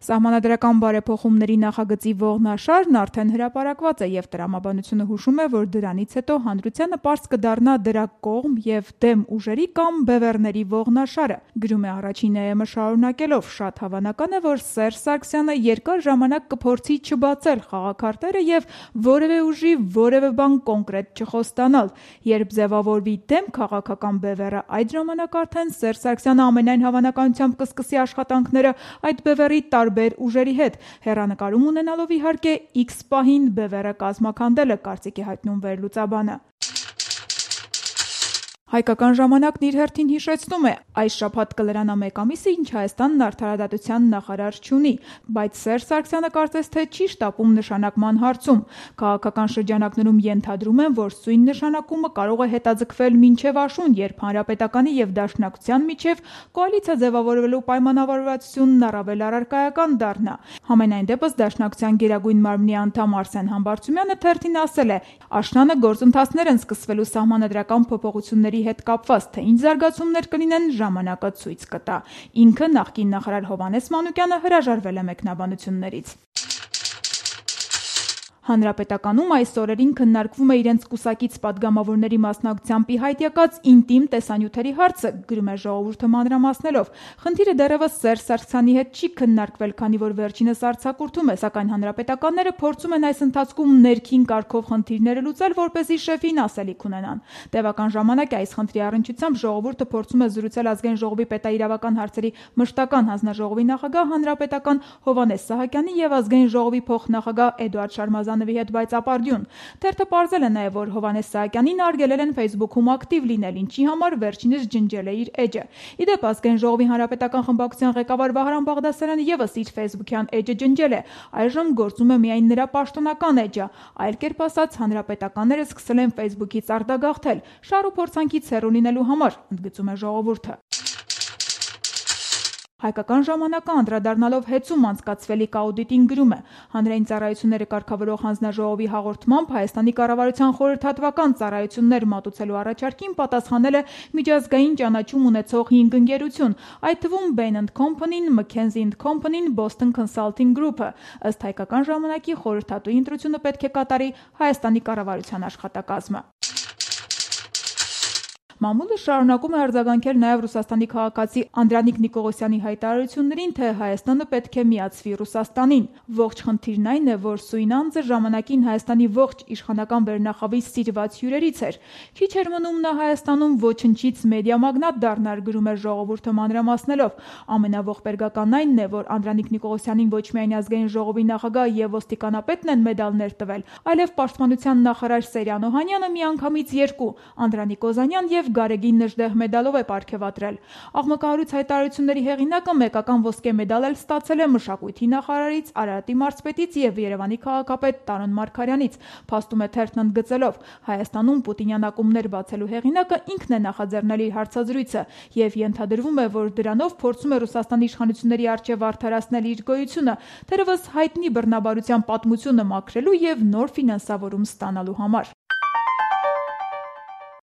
Սահմանադրական բարեփոխումների նախագծի ողնաշարն արդեն հրապարակված է և տրամաբանությունը հուշում է, որ դրանից հետո հանրությանը պարզ կդառնա դրա կողմ և դեմ ուժերի կամ բևեռների ողնաշարը, գրում է Առաջին ԵՄ շարունակելով. շատ հավանական է, որ Սերժ Սարգսյանը երկար ժամանակ կփորձի չբացել խաղաքարտերը և որևէ ուժի որևէ բան կոնկրետ չխոստանալ: Երբ ձևավորվի դեմ քաղաքական բևեռը, այդ ժամանակ արդեն Սերժ Սարգսյանը ամենայն հավանականությամբ կսկսի աշխատանքները այդ բևեռի տարբեր ուժերի հետ, հեռանկարում ունենալով իհարկե X պահին բևեռը կազմաքանդելը, կարծիք է հայտնում վերլուծաբանը: Հայկական ժամանակն իր հերթին հիշեցնում է. այս շաբաթ կլրանա 1 ամիսը, ինչ Հայաստանն արդարադատության նախարար չունի, բայց Սերժ Սարգսյանը կարծես թե չի շտապում նշանակման հարցում: Քաղաքական շրջանակներում ենթադրում են, որ սույն նշանակումը կարող է հետաձգվել մինչև աշուն, երբ Հանրապետականի և Դաշնակցության միջև կոալիցիա ձևավորվելու պայմանավորվածությունն առավել առարկայական դառնա: Համենայն դեպս Դաշնակցության Գերագույն մարմնի անդամ Արսեն Համբարձումյանը թերթին ասել է. աշնանը գործընթացներ են սկսվելու սահմանադրական փոփոխությունների հետ կապված, թե ինչ զարգացումներ կլինեն, ժամանակը ցույց կտա: Ինքը, նախկին նախարար Հովհաննես Մանուկյանը, հրաժարվել է մեկնաբանություններից: Հանրապետականում այս օրերին քննարկվում է իրենց կուսակից պատգամավորների մասնակցությամբ ի հայտ եկած ինտիմ տեսանյութերի հարցը, գրում է Ժողովուրդը մանրամասնելով: Խնդիրը դեռևս Սերժ Սարգսյանի հետ չի քննարկվել, քանի որ վերջինս արձակուրդում է, սակայն հանրապետականները փորձում են այս ընթացքում ներքին կարգով խնդիրները լուծել, որպեսզի շեֆին ասելիք ունենան: Տևական ժամանակ է այս խնդրի առնչությամբ Ժողովուրդը փորձում է զրուցել Ազգային ժողովի պետաիրավական հարցերի մշտական հանձնաժողովի նախագահ, հանրապետական Հովհաննես Սահակյանի և Ազգային ժողովի փոխնախագահ Էդուարդ Շարմազանովի հետ, բայց ապարդյուն: Թերթը պարզել է նաև, որ Հովհաննես Սահակյանին արգելել են Facebook-ում ակտիվ լինել, ինչի համար վերջինս ջնջել է իր էջը: Ի դեպ, Ազգային ժողովի հանրապետական խմբակցության ղեկավար Վահրամ Բաղդասարյանը ևս իր Facebook-յան էջը ջնջել է: Այժմ գործում է միայն նրա պաշտոնական էջը: Այլ կերպ ասած, հանրապետականները սկսել են Facebook-ից արտագաղթել, շահ ու փորձանքից հեռու լինելու համար, ընդգծում է Ժողովուրդը: Հայկական ժամանակը անդրադառնալով հեծում անցկացվելիք աուդիտին գրում է. հանրային ծառայությունները կարգավորող հանձնաժողովի հաղորդմամբ Հայաստանի կառավարության խորհրդատվական ծառայություններ մատուցելու առաջարկին պատասխանել է միջազգային ճանաչում ունեցող 5 ընկերություն, այդ թվում Bain & Company-ն, McKinsey & Company-ն, Boston Consulting Group-ը: Ըստ Հայկական ժամանակի, խորհրդատուի ընտրությունը պետք է կատարի Հայաստանի կառավարության աշխատակազմը: Մամուլը շարունակում է արձագանքել նաև Ռուսաստանի քաղաքացի Անդրանիկ Նիկողոսյանի հայտարարություններին, թե Հայաստանը պետք է միացվի Ռուսաստանին: Ողջ խնդիրն այն է, որ սույն անձը ժամանակին Հայաստանի ողջ իշխանական վերնախավի սիրված հյուրերից էր: Քիչ էր մնում նա Հայաստանում ոչնչից մեդիա մագնատ դառնար, գրում է Ժողովուրդը մանրամասնելով: Ամենաողբերգականն այն է, որ Անդրանիկ Նիկողոսյանին ոչ միայն Ազգային ժողովի նախագահ և ոստիկանապետն են մեդալներ տվել, այլև պաշտպանության նախարար Սերյան Օհանյանը միանգամից 2՝ Անդրանիկ Օզանյան և Գարեգին Նժդեհ մեդալով է պարգևատրել: Աղմկահարույց հայտարարությունների հեղինակը մեկական ոսկե մեդալ էլ ստացել է մշակույթի նախարարից, Արարատի մարզպետից և Երևանի քաղաքապետ Տարոն Մարգարյանից, փաստում է թերթն ընդգծելով. Հայաստանում պուտինյան ակումբներ բացելու հեղինակը ինքն է նախաձեռնել իր հարցազրույցը և ենթադրվում է, որ դրանով փորձում է Ռուսաստանի իշխանությունների առջև արդարացնել իր գոյությունը, թերևս հայտնի բռնաբարության պատմությունը մաքրելու և նոր ֆինանսավորում ստանալու համար: